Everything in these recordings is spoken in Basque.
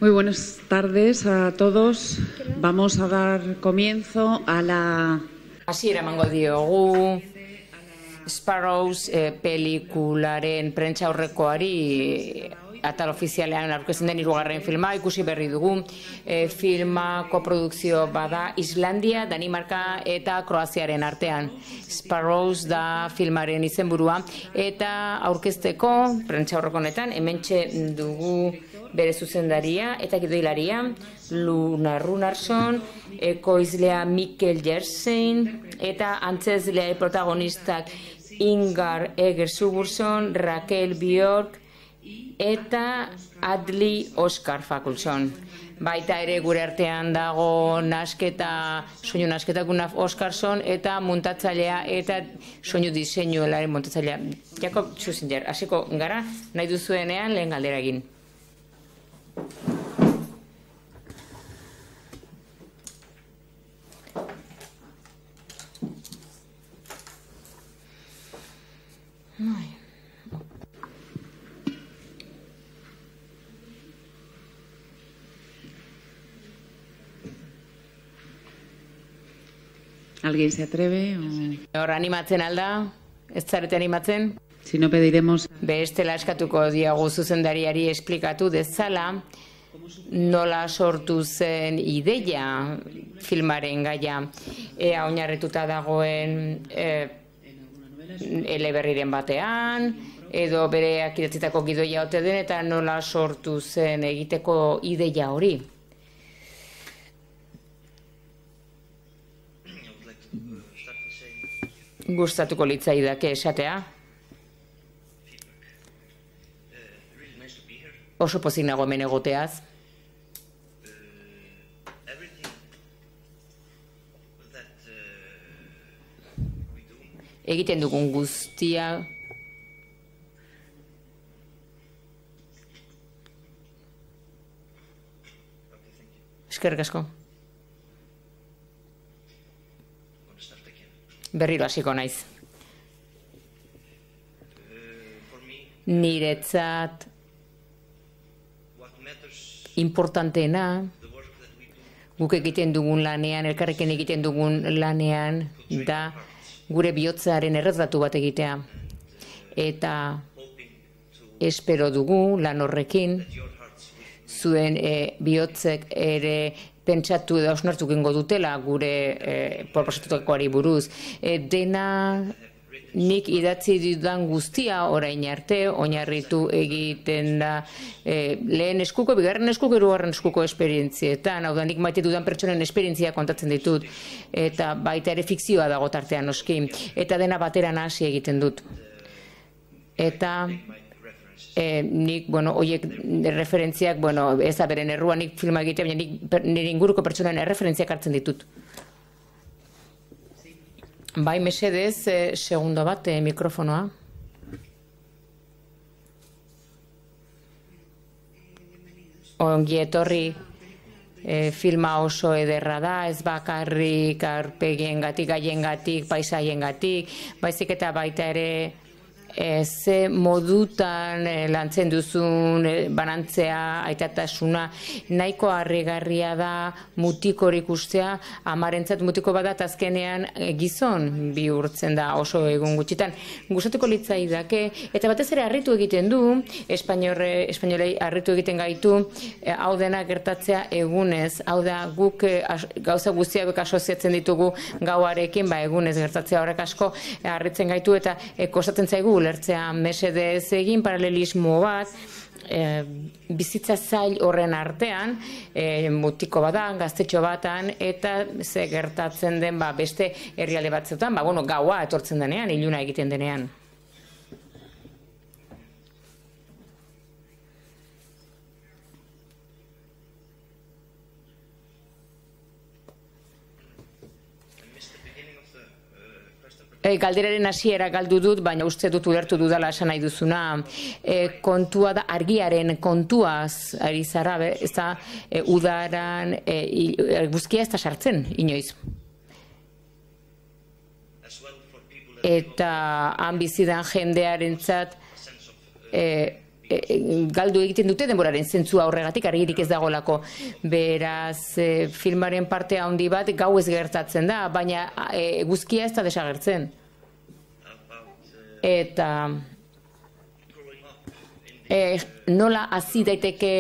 Muy buenas tardes a todos. Vamos a dar comienzo a la... Hasiera emango diogu Sparrows pelikularen prentsaurrekoari atal ofizialean aurkezten den 3. filma ikusi berri dugu. Filma koprodukzio bada Islandia, Danimarka eta Kroaziaren artean. Sparrows da filmaren izenburua eta aurkezteko prentsaurreko honetan hementxe dugu bere zuzendaria eta gidoilaria Luna Runarsson, ekoizlea Mikkel Jersein eta antzezlea protagonistak Ingar Eger-Sigurðsson, Rakel Björk eta Adli Oskar Fakulson. Baita ere gure artean dago soinu nasketa Gunnar Oskarsson eta muntatzailea eta soinu diseinuelaren muntatzailea Jakob Schusinger. Hasiko gara, nahi duzuenean lehen galdera egin. ¿Alguien se atreve? Hor animatzen alda? Ez zarete animatzen? Si no pediremos... Bestela eskatuko diagu zuzendariari esplikatu dezala nola sortu zen ideia filmaren gaia. Ea oinarrituta dagoen eleberriren batean, edo bereak idatzitako gidoia ote den eta nola sortu zen egiteko ideia hori. Gustatuko litzaidake esatea. Oso pozik nago hemen egoteaz. Egiten dugun guztia eskerrik asko. Berriro hasiko naiz. Niretzat importanteena guk egiten dugun lanean, elkarrekin egiten dugun lanean da gure bihotzaren erretratu bat egitea. Eta espero dugu lan horrekin zuen bihotzek ere pentsatu edo hausnartu gengo dutela gure proposatutakoari buruz. Dena nik idatzi dudan guztia orain arte, oinarritu egiten da lehen eskuko, bigarren eskuko, hirugarren eskuko esperientzietan. Hau da, nik maite dudan pertsonen esperientzia kontatzen ditut. Eta baita ere fikzioa dago tartean noski. Eta dena batera hasi egiten dut. Eta... nik, oiek referentziak, ez da beren errua nik filma egitea, baina nik nire inguruko pertsonen referentziak hartzen ditut. Bai, mesedez, segundo bat, mikrofonoa. Ongi etorri, filma oso ederra da, ez bakarrik arpegiengatik, gaiengatik, paisaiengatik, baizik eta baita ere ze modutan lantzen duzun banantzea, aitatasuna, nahiko harrigarria da mutiko ikustea, amarentzat mutiko badat azkenean gizon bihurtzen da oso egun gutxitan. Gustatuko litzaidake, eta batez ere harritu egiten du, espainolei harritu egiten gaitu, hau dena gertatzea egunez, hau da guk gauza guztiak asoziatzen ditugu gauarekin, egunez gertatzea horrek asko harritzen gaitu eta kostatzen zaigu ulertzea mesedez egin paralelismo bat, bizitza zail horren artean, mutiko batan, gaztetxo batan, eta ze gertatzen den beste herrialde batzuetan, gaua etortzen denean, iluna egiten denean. Galderaren hasiera galdu dut, baina uste dut ulertu dudala esan nahi duzuna. Kontua da, argiaren kontuaz ari zara, ez da udaran eguzkia ez da sartzen, inoiz. eta han bizidan jendearentzat galdu egiten dute denboraren zentzua horregatik, argirik ez dagolako. Beraz, filmaren parte handi bat gau ez gertatzen da, baina eguzkia ez da desagertzen. Eta nola hasi daiteke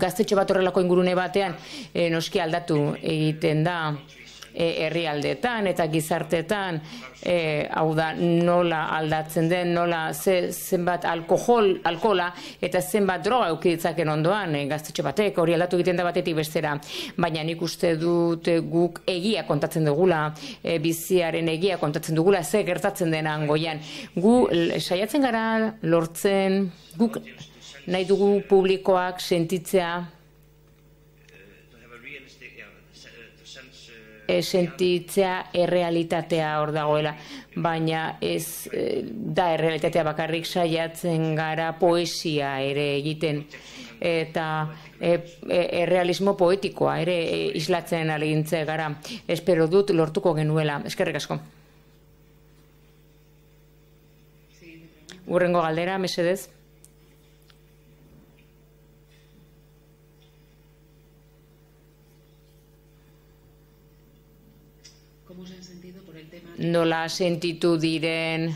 gaztetxo bat horrelako ingurune batean, noski aldatu egiten da herrialdeetan eta gizarteetan, hau da nola aldatzen den, nola zenbat alkohola eta zenbat droga eukiditzaken ondoan gaztetxo batek, hori aldatu egiten da batetik bestera, baina nik uste dut guk egia kontatzen dugula, biziaren egia kontatzen dugula, ze gertatzen denan goian. Gu saiatzen gara lortzen, guk nahi dugu publikoak sentitzea, sentitzea errealitatea hor dagoela, baina ez da errealitatea bakarrik, saiatzen gara poesia ere egiten eta errealismo poetikoa ere islatzen alegintze gara. Espero dut lortuko genuela. Eskerrik asko. Hurrengo galdera, mesedez. Nola sentitu diren,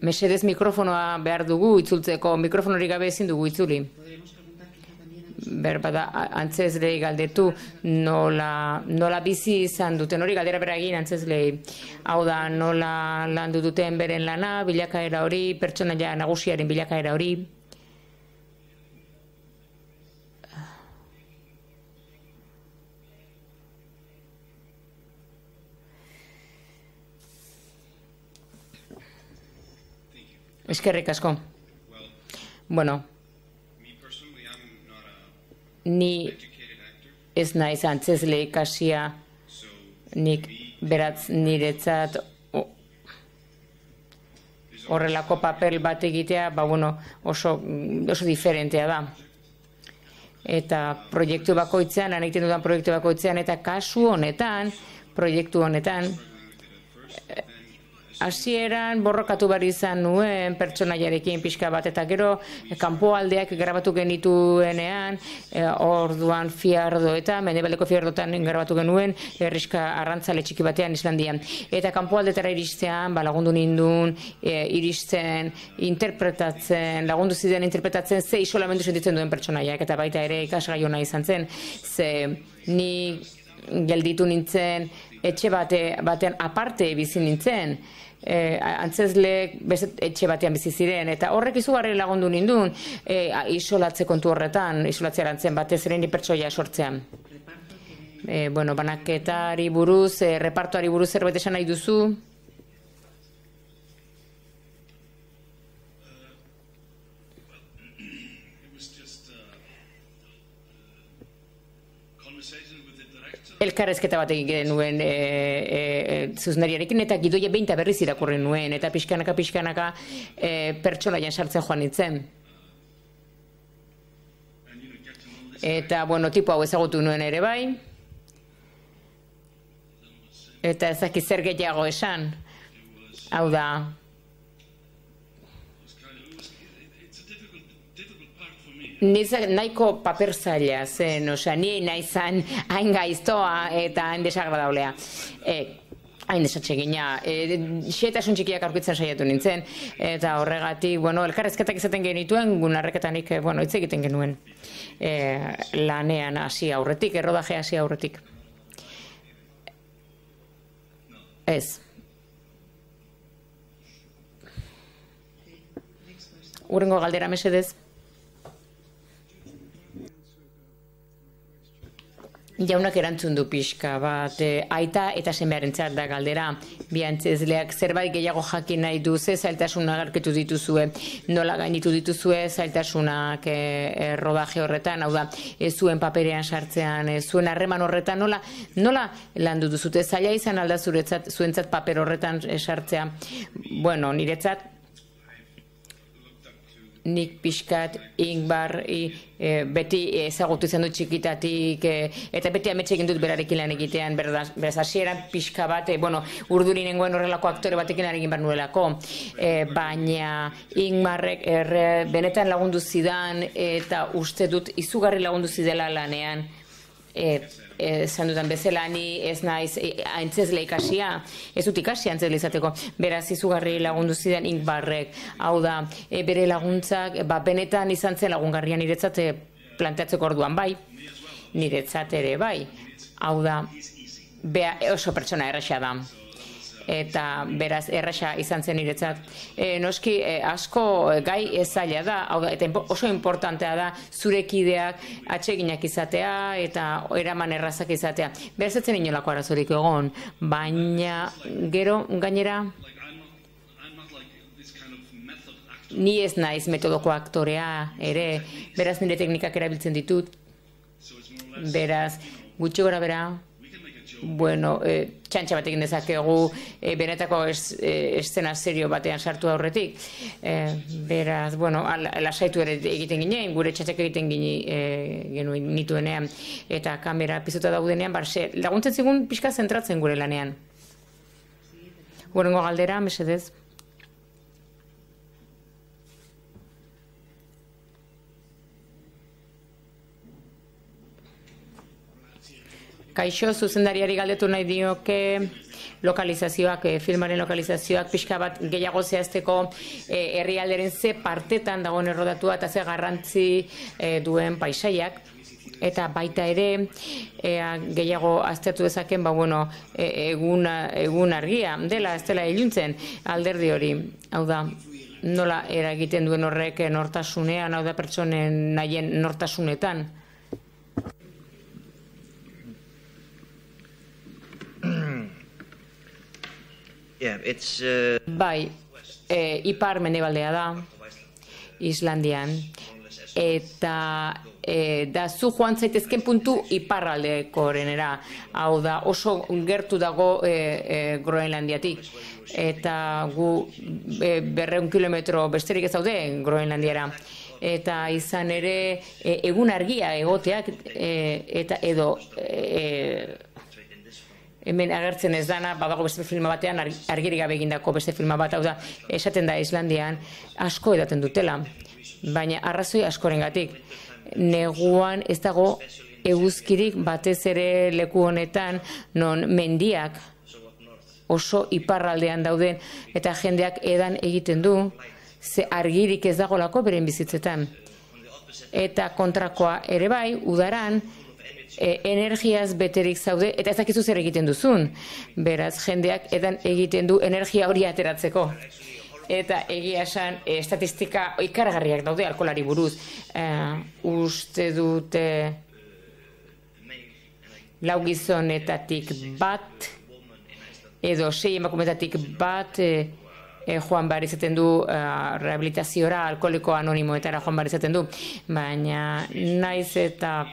mesedez mikrofonoa behar dugu itzultzeko, mikrofonorik gabe ezin dugu itzuli. Berbada, antzezlei galdetu nola bizi izan duten, hori galdera bera egin antzezlei. Hau da, nola landu duten beren lana, bilakaera hori, pertsonaia nagusiaren bilakaera hori. Eskerrik asko. Bueno, ni ez naiz antzezle ikasia, nik beratz niretzat horrelako papel bat egitea, oso diferentea da. Eta proiektu bakoitzean, egiten dudan proiektu bakoitzean, eta kasu honetan, proiektu honetan, hasieran borrokatu behar izan nuen pertsonaiarekin pixka bat, eta gero kanpoaldeak grabatu genituenean, orduan fiardoetan, mendebaldeko fiardoetan grabatu genuen, herriska arrantzale txiki batean Islandian. Eta kanpoaldetara iristean, lagundu nindun, iristen, interpretatzen, lagundu zidean interpretatzen, ze isolamendu sentitzen duen pertsonaiak, eta baita ere ikasgai ona izan zen, ze ni gelditu nintzen, etxe batean aparte bizi nintzen, antzezleek etxe batean bizi ziren, eta horrek izugarri lagundu nindun isolatze kontu horretan, isolatzea erantzen batez ere ni pertsoia sortzean. Banaketari buruz, repartoari buruz zerbait esan nahi duzu? Elkarrezketa bat egin genuen zuzendariarekin, eta gidoia behin eta berriz irakurri nuen, eta pixkanaka pertsonaian sartzen joan nintzen. Eta, tipo hau ezagutu nuen ere bai, eta ezakit zer gehiago esan, hau da, nahiko paper zaila zen, ni naizan hain gaiztoa eta hain desagradablea. Hain desatsegina. Xehetasun txikiak aurkitzen saiatu nintzen, eta horregatik, elkarrezketak izaten genituen, gunarreketanik, hitz egiten genuen lanean hasi aurretik, errodaje hasi aurretik. Ez. Hurrengo galdera mesedez. Jaunak erantzun du pixka bat, aita eta semearentzat da galdera, bi antzezleak zerbait gehiago jakin nahi du, ze zailtasunak agertu dituzue, nola gainditu dituzue zailtasunak rodaje horretan, hau da, zuen paperean sartzean, zuen harreman horretan, nola landu duzute, zaila izan alda zuentzat paper horretan sartzea. Niretzat nik pixkat Ingbar beti ezagutu izan dut txikitatik eta beti ametxe egin dut berarekin lan egitean, beraz hasieran pixka bat, urduri nengoen horrelako aktore batekin lan egin behar nuelako, baina Ingmarrek benetan lagundu zidan eta uste dut izugarri lagundu zidela lanean. Esan dudan bezala, ni ez naiz aintzezle ikasia, ez dut ikasia aintzezle izateko, beraz izugarri lagundu zidan Ingbarrek, hau da, bere laguntzak, benetan izan zen lagungarria niretzat planteatzeko orduan bai, niretzat ere bai, hau da, oso pertsona erraxa da. Eta beraz erraxa izan zen niretzat. Noski asko gai zaila da, eta oso importantea da zure kideak atseginak izatea eta eraman errazak izatea. Beraz ez zen inolako arazorik egon, baina gero gainera ni ez naiz metodoko aktorea ere, beraz nire teknikak erabiltzen ditut, beraz gutxi gora bera, txantxa bat egin dezakegu benetako eszena serio batean sartu aurretik. Beraz, lasaitu ere egiten ginen, gure txantxak egiten genuen nituenean, eta kamera piztuta daudenean, laguntzen zigun pixka zentratzen gure lanean. Gurengo galdera, mesedez. Kaixo, zuzendariari galdetu nahi dioke lokalizazioak, filmaren lokalizazioak pixka bat gehiago zehazteko herrialderen ze partetan dagoen errodatua eta ze garrantzi duen paisaiak. Eta baita ere, gehiago aztertu dezaken, egun argia dela, ez dela iluntzen alderdi hori. Hau da, nola eragiten duen horrek nortasunean, hau da pertsonen nahien nortasunetan. Bai, ipar mendebaldea da, Islandian, eta da zu joan zaitezken puntu iparraldeko orenera, hau da oso gertu dago Groenlandiatik, eta gu 200 kilometro besterik ez daude Groenlandiara. Eta izan ere egun argia egoteak eta edo hemen agertzen ez dana, badago beste filma batean, argirik gabe egindako beste filma bat, hau da, esaten da Islandian, asko edaten dutela, baina arrazoi askorengatik. Neguan ez dago eguzkirik batez ere leku honetan, non mendiak oso iparraldean dauden, eta jendeak edan egiten du, ze argirik ez dagolako beren bizitzetan. Eta kontrakoa ere bai, udaran, energiaz beterik zaude, eta ez dakizu zer egiten duzun. Beraz, jendeak edan egiten du energia hori ateratzeko. Eta egia esan, estatistika ikaragarriak daude alkoholari buruz. Uste dute 4 gizonetatik bat, edo 6 emakumetatik bat, joan behar izaten du rehabilitaziora, alkoholiko anonimoetara joan behar izaten du. Baina naiz eta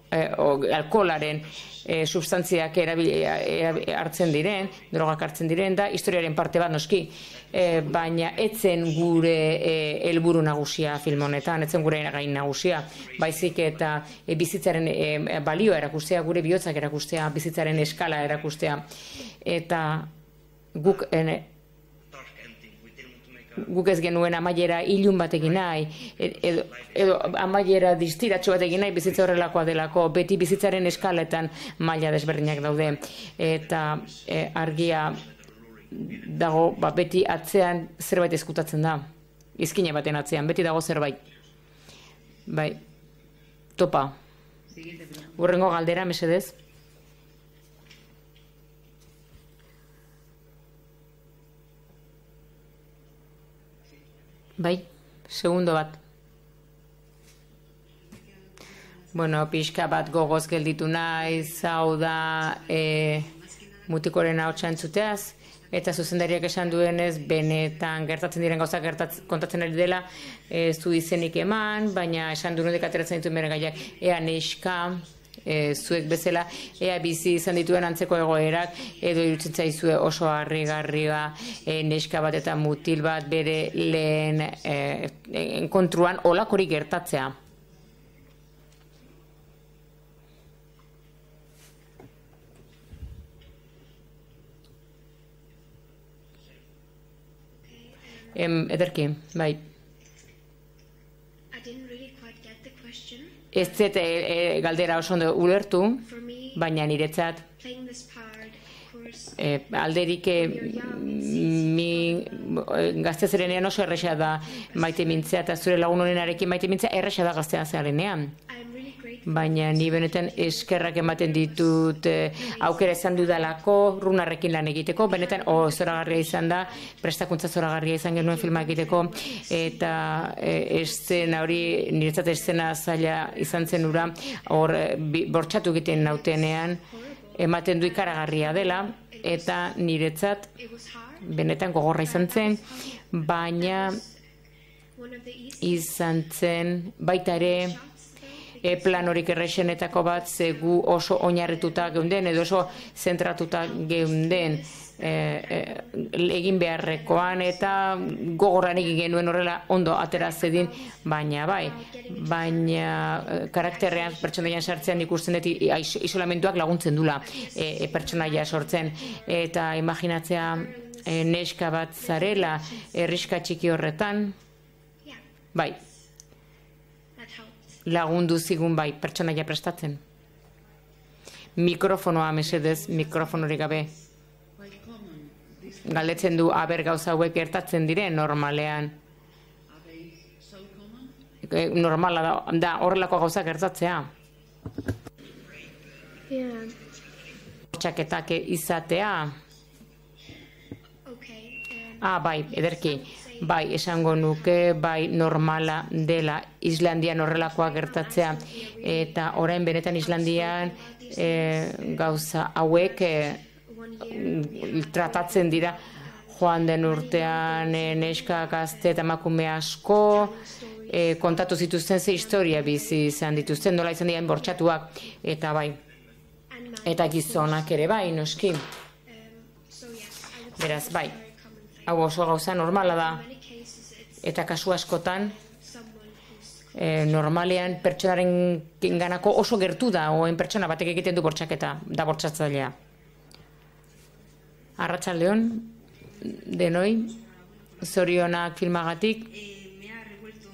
alkoholaren substantziak hartzen diren, drogak hartzen diren, da historiaren parte bat noski, baina etzen gure helburu nagusia film honetan, etzen gure gain nagusia, baizik eta bizitzaren balioa erakustea, gure bihotzak erakustea, bizitzaren eskala erakustea, eta guk ez genuen amaiera ilun batekin nahi, edo amaiera distiratxo batekin nahi, bizitza horrelakoa delako, beti bizitzaren eskaletan maila desberdinak daude, eta argia dago, beti atzean zerbait ezkutatzen da, izkine baten atzean, beti dago zerbait. Bai, topa. Hurrengo galdera, mesedez. Bai, segundo bat. Pixka bat gogoz gelditu naiz, hau da mutikoren ahotsa entzuteaz, eta zuzendariak esan duenez, benetan gertatzen diren gauzak kontatzen ari dela, ez du izenik eman, baina esan du nudek ateratzen ditu bere gaiak, ea neska zuek bezala, ea bizi izan dituen antzeko egoerak, edo irutzen zaizue oso harrigarria neska bat eta mutil bat bere lehen enkontruan olakorik gertatzea. Ederki, bai. Ez zet galdera oso ondo ulertu, baina niretzat alderik gazte zerenean oso erresa da maite mintzea, eta zure lagun honenarekin maite mintzea erresa da gaztea zerenean. Baina ni benetan eskerrak ematen ditut aukera izan dudalako runarrekin lan egiteko, benetan zoragarria izan da, prestakuntza zoragarria izan genuen filma egiteko, eta eszena hori, niretzat eszena zaila izan zen ura, hor bortxatu egiten nautenean, ematen du ikaragarria dela, eta niretzat benetan gogorra izan zen, baina izan zen baita ere plan horik errexenetako bat, ze gu oso oinarrituta geunden, edo oso zentratuta geunden egin beharrekoan, eta gogorran egin genuen horrela ondo atera zedin, baina karakterrean pertsonaian sartzean ikusten dut isolamentuak laguntzen dula pertsonaia sortzen, eta imaginatzea neska bat zarela herriska txiki horretan, bai, lagundu zigun bai, pertsonaia prestatzen. Mikrofonoa mesedez, mikrofonorik gabe. Galdetzen du, aber gauza hauek gertatzen dire normalean. Normala da horrelako gauza gertatzea. Txaketak izatea. Bai, ederki. Bai, esango nuke, bai, normala dela Islandian horrelakoa gertatzea, eta orain benetan Islandian gauza hauek tratatzen dira. Joan den urtean neska gazte eta emakume asko kontatu zituzten ze historia bizi izan dituzten, nola izan diren bortxatuak, eta bai, eta gizonak ere bai, noski. Beraz, bai. Hau oso gauza normala da, eta kasu askotan normalean pertsonaren ganako oso gertu da, oen pertsona batek egiten du bortxaketa, da bortxatzailea. Arratsaldeon, denoi, zorionak filmagatik,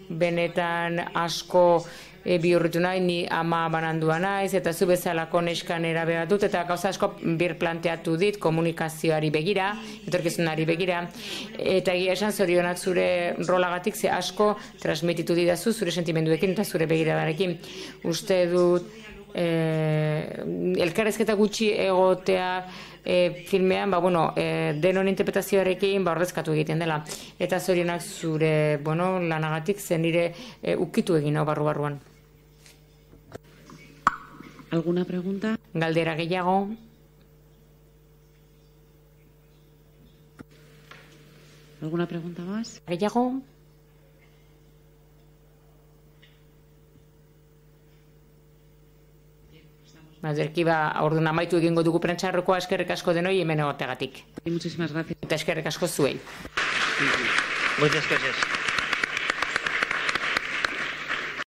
benetan asko bihurritu nahi, ni ama banandua naiz, eta zu bezalako neskan erabea dut, eta gauza asko planteatu dit komunikazioari begira, etorkizunari begira, eta egia esan zorionak zure rolagatik, ze asko transmititu didazu zure sentimenduekin eta zure begiradarekin. Uste dut elkarrezketa gutxi egotea filmean, denon interpretazioarekin ordezkatu egiten dela. Eta zorionak zure lanagatik zen nire ukitu egin hau barru-barruan. ¿Alguna pregunta? Galdera gehiago. ¿Alguna pregunta más? Gehiago. Ederki, orduan amaitu egingo dugu prentxarrokoa, eskerrik asko denoi hemen egoteagatik. Muchísimas gracias. Eta eskerrik asko zuei. Muchas gracias.